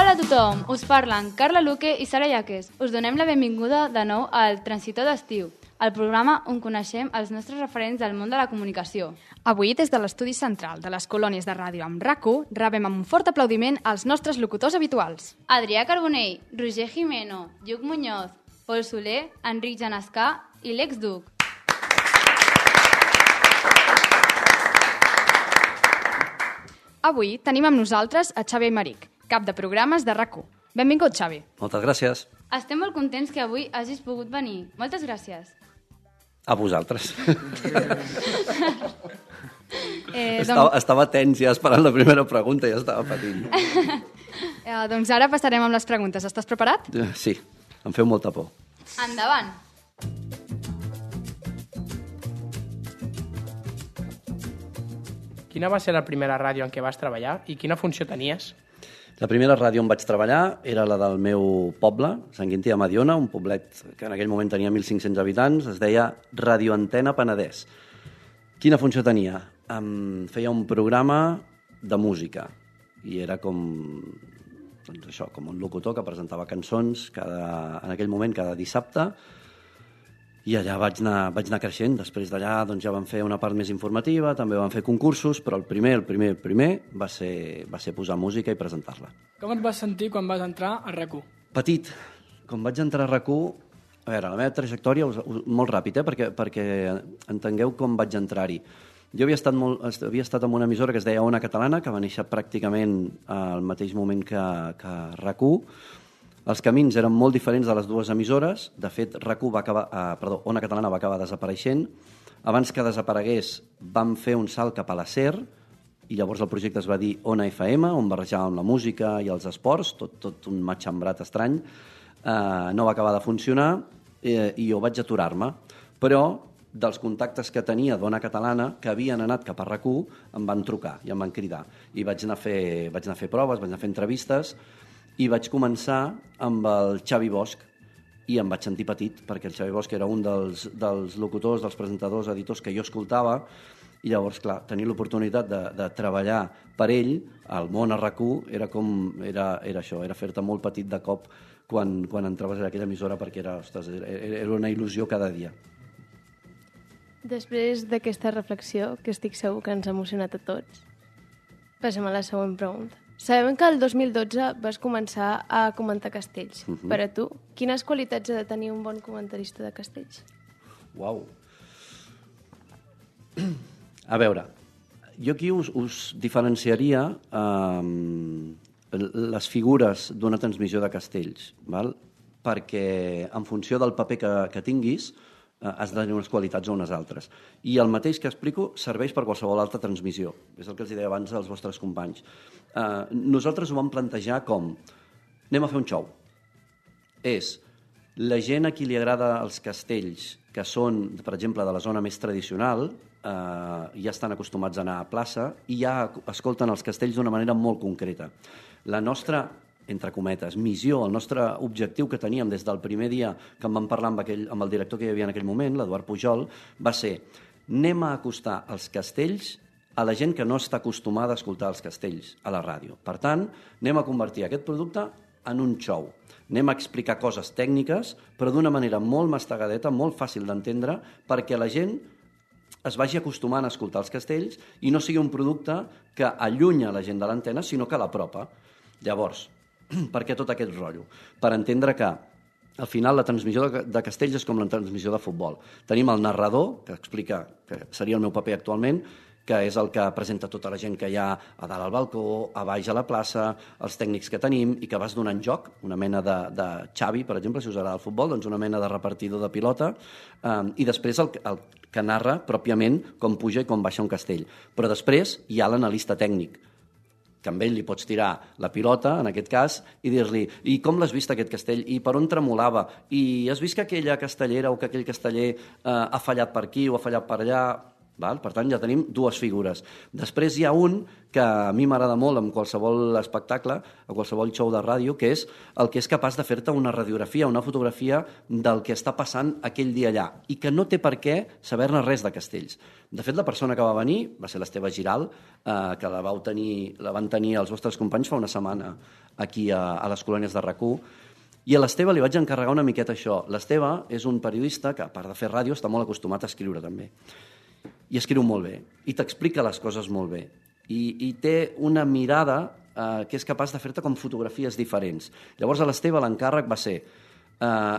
Hola a tothom, us parlen Carla Luque i Sara Yaques. Us donem la benvinguda de nou al Transitor d'Estiu, el programa on coneixem els nostres referents del món de la comunicació. Avui, des de l'estudi central de les colònies de ràdio amb RAC1, rebem amb un fort aplaudiment els nostres locutors habituals. Adrià Carbonell, Roger Jimeno, Lluc Muñoz, Pol Soler, Enric Genescà i Lex Duc. Avui tenim amb nosaltres a Xavi Aymeric, cap de programes de RAC1. Benvingut, Xavi. Moltes gràcies. Estem molt contents que avui hagis pogut venir. Moltes gràcies. A vosaltres. Estava tens ja esperant la primera pregunta i ja estava patint. Doncs ara passarem amb les preguntes. Estàs preparat? Sí, em feu molta por. Endavant. Quina va ser la primera ràdio en què vas treballar i quina funció tenies? La primera ràdio on vaig treballar era la del meu poble, Sant Quintí de Mediona, un poblet que en aquell moment tenia 1.500 habitants, es deia Radio Antena Penedès. Quina funció tenia? Feia un programa de música i era com un locutor que presentava cançons en aquell moment cada dissabte. I allà vaig anar creixent. Després d'allà ja vam fer una part més informativa, també vam fer concursos, però el primer va ser posar música i presentar-la. Com et vas sentir quan vas entrar a RAC1? Petit. Quan vaig entrar a RAC1, a veure, la meva trajectòria, molt ràpid, perquè entengueu com vaig entrar-hi. Jo havia estat en una emissora que es deia Ona Catalana, que va néixer pràcticament al mateix moment que RAC1. Els camins eren molt diferents de les dues emissores. De fet, Ona Catalana va acabar desapareixent. Abans que desaparegués, vam fer un salt cap a la SER, i llavors el projecte es va dir Ona FM, on barrejàvem la música i els esports, tot un matxembrat estrany. No va acabar de funcionar i jo vaig aturar-me. Però dels contactes que tenia d'Ona Catalana, que havien anat cap a RAC1, em van trucar i em van cridar. I vaig anar a fer proves, vaig anar a fer entrevistes, i vaig començar amb el Xavi Bosch, i em vaig sentir petit, perquè el Xavi Bosch era un dels locutors, dels presentadors, editors que jo escoltava, i llavors, clar, tenir l'oportunitat de treballar per ell, al món a RAC1, era això, era fer-te molt petit de cop quan entraves a aquella emissora, perquè era una il·lusió cada dia. Després d'aquesta reflexió, que estic segur que ens ha emocionat a tots, passem a la següent pregunta. Sabem que el 2012 vas començar a comentar castells. Per a tu, quines qualitats ha de tenir un bon comentarista de castells? Uau! A veure, jo aquí us diferenciaria les figures d'una transmissió de castells, val? Perquè en funció del paper que tinguis, has de tenir unes qualitats o unes altres. I el mateix que explico serveix per qualsevol altra transmissió. És el que els deia abans als vostres companys. Nosaltres ho vam plantejar com: anem a fer un show. És la gent a qui li agrada els castells, que són, per exemple, de la zona més tradicional, ja estan acostumats a anar a plaça i ja escolten els castells d'una manera molt concreta. La nostra, entre cometes, missió, el nostre objectiu que teníem des del primer dia que en vam parlar amb el director que hi havia en aquell moment, l'Eduard Pujol, va ser: anem a acostar els castells a la gent que no està acostumada a escoltar els castells a la ràdio. Per tant, anem a convertir aquest producte en un show. Anem a explicar coses tècniques, però d'una manera molt mastegadeta, molt fàcil d'entendre, perquè la gent es vagi acostumant a escoltar els castells i no sigui un producte que allunya la gent de l'antena, sinó que l'apropa. Llavors, per què tot aquest rotllo? Per entendre que al final la transmissió de castells és com la transmissió de futbol. Tenim el narrador, que explica, que seria el meu paper actualment, que és el que presenta tota la gent que hi ha a dalt al balcó, a baix a la plaça, els tècnics que tenim, i que vas donant joc, una mena de Xavi, per exemple, si us agrada el futbol, doncs una mena de repartidor de pilota, i després el que narra pròpiament com puja i com baixa un castell. Però després hi ha l'analista tècnic, que amb ell li pots tirar la pilota, en aquest cas, i dir-li: i com l'has vist aquest castell? I per on tremolava? I has vist que aquella castellera o que aquell casteller ha fallat per aquí o ha fallat per allà? Val? Per tant, ja tenim dues figures. Després hi ha un que a mi m'agrada molt en qualsevol espectacle, a qualsevol show de ràdio, que és el que és capaç de fer-te una radiografia, una fotografia del que està passant aquell dia allà i que no té per què saber-ne res de Castells. De fet, la persona que va venir va ser l'Esteve Giral, que la van tenir els vostres companys fa una setmana aquí a les colònies de RAC1, i a l'Esteve li vaig encarregar una miqueta això. L'Esteve és un periodista que, a part de fer ràdio, està molt acostumat a escriure també. I escriu molt bé, i t'explica les coses molt bé. I té una mirada que és capaç de fer-te com fotografies diferents. Llavors a l'Esteve l'encàrrec va ser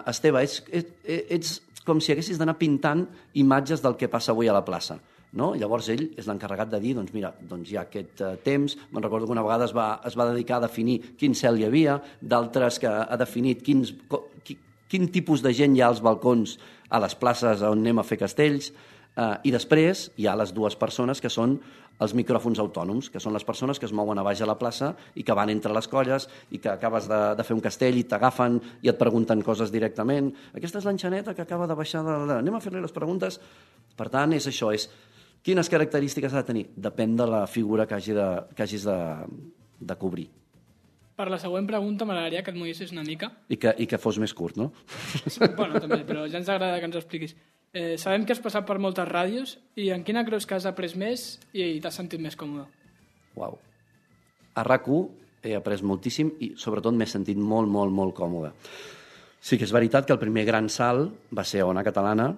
Esteve, ets com si haguessis d'anar pintant imatges del que passa avui a la plaça. No? Llavors ell és l'encarregat de dir, doncs mira, hi ha aquest temps, me'n recordo que una vegada es va dedicar a definir quin cel hi havia, d'altres que ha definit quin tipus de gent hi ha als balcons a les places on anem a fer castells, i després hi ha les dues persones que són els micròfons autònoms, que són les persones que es mouen a baix a la plaça i que van entre les colles i que acabes de fer un castell i t'agafen i et pregunten coses directament. Aquesta és l'enxaneta que acaba de baixar anem a fer-li les preguntes. Per tant, és això, és quines característiques ha de tenir? Depèn de la figura que hagis de cobrir. Per la següent pregunta m'agradaria que et moguessis una mica. I que fos més curt, no? Bueno, també, però ja ens agrada que ens ho expliquis. Sabem que has passat per moltes ràdios i en quina creus que has après més i t'has sentit més còmode? Uau. A RAC1 he après moltíssim i sobretot m'he sentit molt, molt, molt còmode. Sí que és veritat que el primer gran salt va ser a Ona Catalana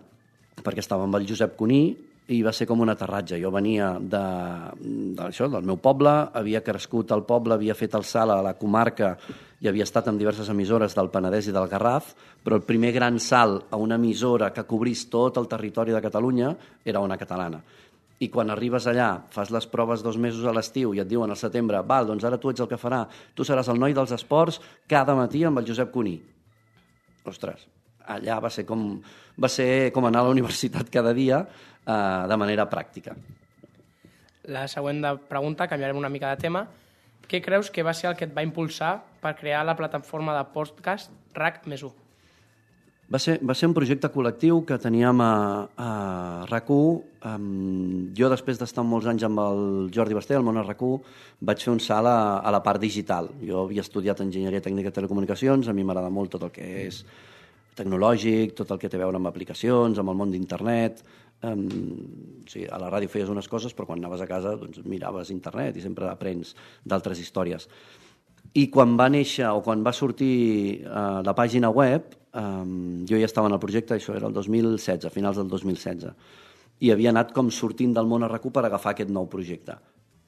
perquè estava amb el Josep Cuní i va ser com un aterratge. Jo venia del meu poble, havia crescut al poble, havia fet el salt a la comarca i havia estat en diverses emissores del Penedès i del Garraf, però el primer gran salt a una emissora que cobrís tot el territori de Catalunya era Ona Catalana. I quan arribes allà, fas les proves 2 mesos a l'estiu i et diuen al setembre, val, doncs ara tu ets el que farà, tu seràs el noi dels esports cada matí amb el Josep Cuní. Ostres, allà va ser com anar a la universitat cada dia de manera pràctica. La següent pregunta, canviarem una mica de tema. Què creus que va ser el que et va impulsar per crear la plataforma de podcast RAC+1? Va ser un projecte col·lectiu que teníem a RAC1. Jo, després d'estar molts anys amb el Jordi Basté, al món a RAC1, vaig fer un salt a la part digital. Jo havia estudiat Enginyeria Tècnica de Telecomunicacions, a mi m'agrada molt tot el que és tecnològic, tot el que té a veure amb aplicacions, amb el món d'internet. Sí, a la ràdio feies unes coses, però quan anaves a casa doncs, miraves internet i sempre aprens d'altres històries. I quan va néixer o quan va sortir la pàgina web, jo ja estava en el projecte, això era el 2016, a finals del 2016, i havia anat com sortint del món a RAC1 per agafar aquest nou projecte.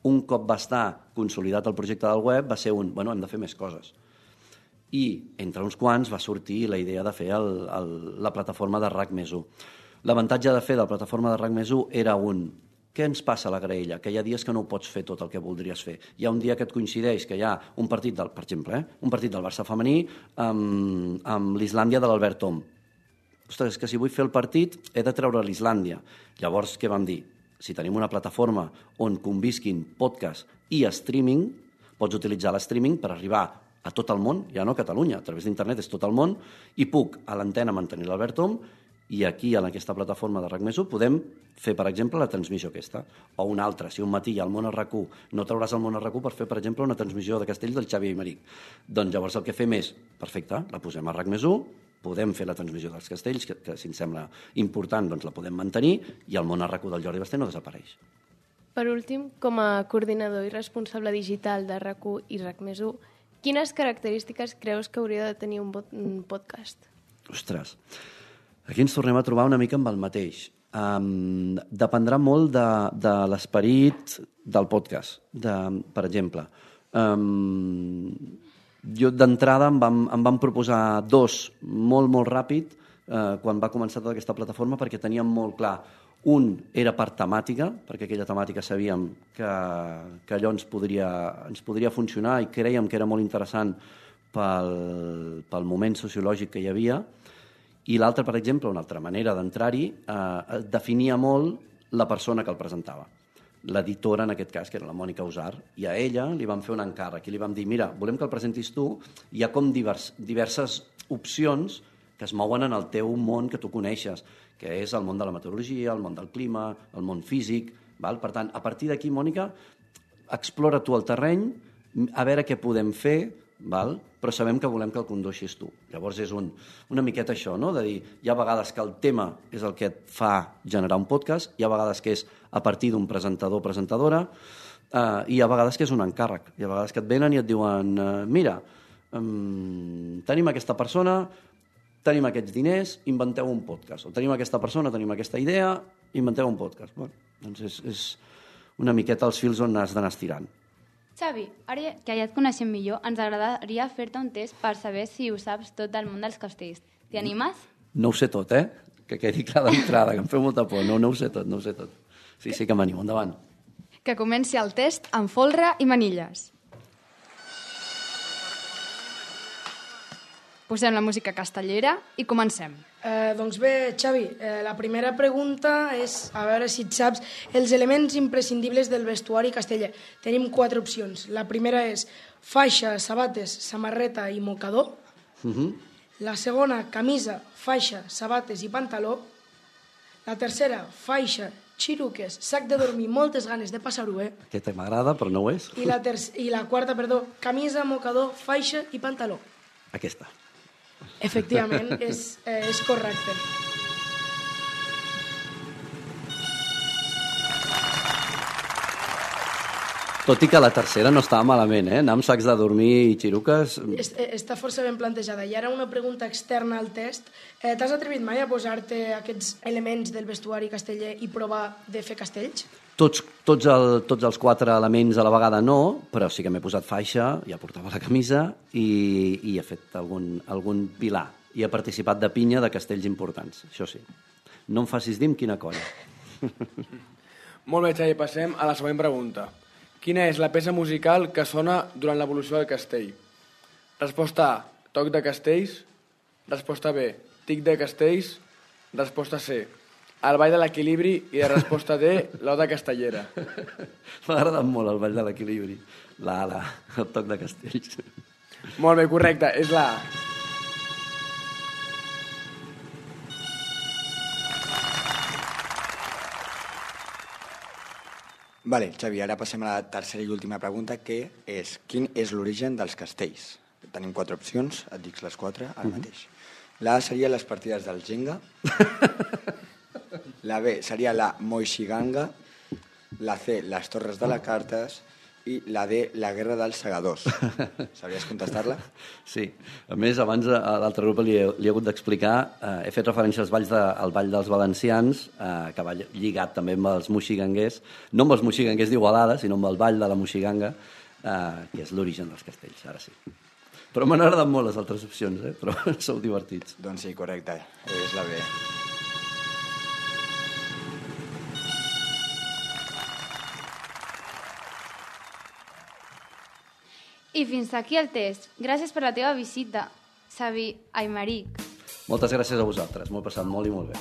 Un cop va estar consolidat el projecte del web, va ser hem de fer més coses. I entre uns quants va sortir la idea de fer la plataforma de RAC+1. L'avantatge de fer de la plataforma de RAC+1 era què ens passa a la graella? Que hi ha dies que no ho pots fer tot el que voldries fer. Hi ha un dia que et coincideix que hi ha un partit per exemple, un partit del Barça femení amb l'Islàndia de l'Albert Tom. Ostres, és que si vull fer el partit he de treure l'Islàndia. Llavors, què vam dir? Si tenim una plataforma on convisquin podcast i streaming, pots utilitzar l'streaming per arribar a tot el món, ja no a Catalunya, a través d'internet és tot el món, i puc a l'antena mantenir l'Albert Tom i aquí, en aquesta plataforma de RAC+1, podem fer, per exemple, la transmissió aquesta. O una altra, si un matí hi ha el món a RAC1, no trauràs el món a RAC1 per fer, per exemple, una transmissió de Castells del Xavi Aymeric. Doncs llavors el que fem és, perfecte, la posem a RAC+1, podem fer la transmissió dels Castells, que si ens sembla important, doncs la podem mantenir, i el món a RAC1 del Jordi Basté no desapareix. Per últim, com a coordinador i responsable digital de RAC1 i RAC+1, quines característiques creus que hauria de tenir un podcast? Ostres, aquí ens tornem a trobar una mica amb el mateix. Dependrà molt de l'esperit del podcast. Per exemple, jo d'entrada em vam proposar 2 molt, molt ràpid quan va començar tota aquesta plataforma perquè teníem molt clar. Un era per temàtica, perquè aquella temàtica sabíem que allò ens podria funcionar i crèiem que era molt interessant pel moment sociològic que hi havia. I l'altre, per exemple, una altra manera d'entrar-hi, definia molt la persona que el presentava. L'editora, en aquest cas, que era la Mònica Usar, i a ella li vam fer un encàrrec i li vam dir, mira, volem que el presentis tu, hi ha com diverses opcions que es mouen en el teu món que tu coneixes. que és el món de la meteorologia, el món del clima, el món físic. Val? Per tant, a partir d'aquí, Mònica, explora tu el terreny, a veure què podem fer, val? Però sabem que volem que el condueixis tu. Llavors és una miqueta això, no? De dir, hi ha vegades que el tema és el que et fa generar un podcast, hi ha vegades que és a partir d'un presentador o presentadora, i hi ha vegades que és un encàrrec. Hi ha vegades que et venen i et diuen, mira, tenim aquesta persona, tenim aquests diners, inventeu un podcast. O tenim aquesta persona, tenim aquesta idea, inventeu un podcast. Bueno, doncs és una miqueta els fils on has d'anar estirant. Xavi, ara que ja et coneixem millor, ens agradaria fer-te un test per saber si ho saps tot del món dels castells. T'hi animes? No ho sé tot, Que quedi clar d'entrada, que em feu molta por. No ho sé tot, no ho sé tot. Sí, sí que m'animo, endavant. Que comenci el test amb folre i manilles. Posem la música castellera i comencem. Doncs bé, Xavi, la primera pregunta és a veure si et saps els elements imprescindibles del vestuari casteller. Tenim 4 opcions. La primera és faixa, sabates, samarreta i mocador. La segona, camisa, faixa, sabates i pantaló. La tercera, faixa, xiruques, sac de dormir, moltes ganes de passar-ho bé. Aquesta m'agrada, però no ho és. I la quarta, camisa, mocador, faixa i pantaló. Aquesta. Efectivament, és correcte. Tot i que la tercera no estava malament, anar amb sacs de dormir i xiruques... Està força ben plantejada. I ara una pregunta externa al test. T'has atrevit mai a posar-te aquests elements del vestuari casteller i provar de fer castells? Tots els 4 elements a la vegada no, però sí que m'he posat faixa, ja portava la camisa i he fet algun pilar. I he participat de pinya de castells importants, això sí. No em facis dir amb quina colla. Molt bé, Xavi, passem a la següent pregunta. Quina és la peça musical que sona durant l'evolució del castell? Resposta A, toc de castells. Resposta B, tic de castells. Resposta C, el ball de l'equilibri. I la resposta D, l'oda castellera. M'ha agradat molt el ball de l'equilibri. El toc de castells. Molt bé, correcte, és la A. Vale, Xavi, ara passem a la tercera i última pregunta, que és quin és l'origen dels castells? Tenim 4 opcions, et dic les 4 ara mateix. La A seria les partides del Jenga, la B seria la Moixiganga, la C, les Torres de les Cartes, i la D, la Guerra dels Segadors. Sabries contestar-la? Sí. A més, abans a l'altre grup li he hagut d'explicar, he fet referència al ball dels valencians, que va lligat també amb els moxiganguers, no amb els moxiganguers d'Igualada, sinó amb el ball de la moxiganga, que és l'origen dels castells, ara sí. Però m'han agradat molt les altres opcions, però sou divertits. Doncs sí, correcte, és la B. I fins aquí el test. Gràcies per la teva visita, Xavi Aymeric. Moltes gràcies a vosaltres, m'ho he passat molt i molt bé.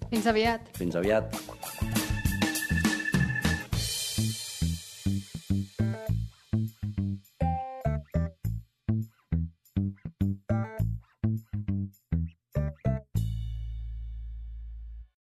Fins aviat. Fins aviat.